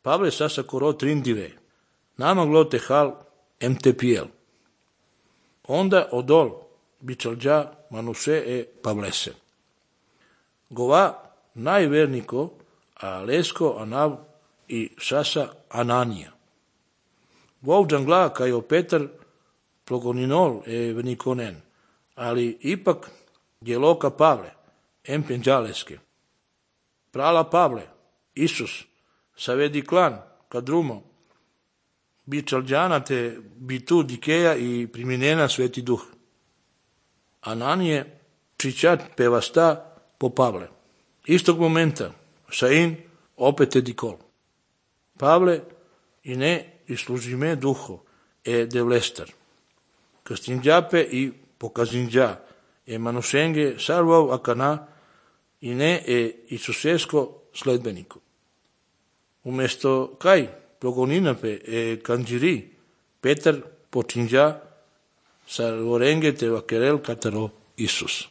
Pavle sasa coro trindive, nama glote hal MTPL. Onda odol bičalđa manuse e Pavlese. Gova najverniko a lesko anav i sasa Ananija. Vovđan gla kajo Petar plogoninol e vnikonen, ali ipak djeloka Pavle, empenđaleske. Prala Pavle, Isus, savedi klan, kadrumo, bičalđana te bitu dikeja i priminena Sveti Duh. Ananije přičat pevasta po Pavle. Istog momenta, Šain opet je dikol. Pavle i ne islužime duho e devlestar. Kastinđape i pokazinđa e manušenge sarvav akana i ne e Isusesko sledbeniku. Umesto kaj progoninape e kanđiri, Petar počinđa sarvorenge te vakerel kataro Isus.